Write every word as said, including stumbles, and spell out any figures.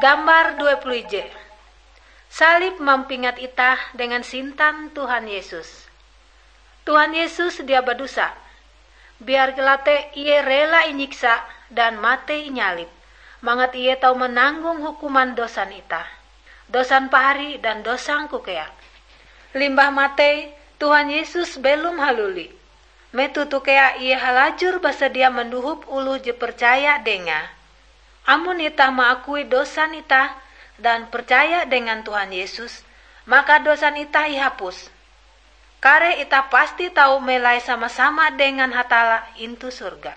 Gambar dua puluh ije. Salib mampingat itah dengan sintan Tuhan Yesus. Tuhan Yesus dia badosa. Biar kilau te Ie rela inyiksa dan matei inyalib, mangat Ie tau mananggong hukuman dosan itah, dosan pahari dan dosangku kea. Limbah matei, Tuhan Yesus belom haluli. Metoh toh kea Ie halajur basadia mandohop oloh je percaya Dengae. Amon itah maakui dosan itah dan percaya dengan Tuhan Yesus, maka dosan itah ihapus. Kareh itah pasti tau melai sama-sama dengan Hatalla intu sorga.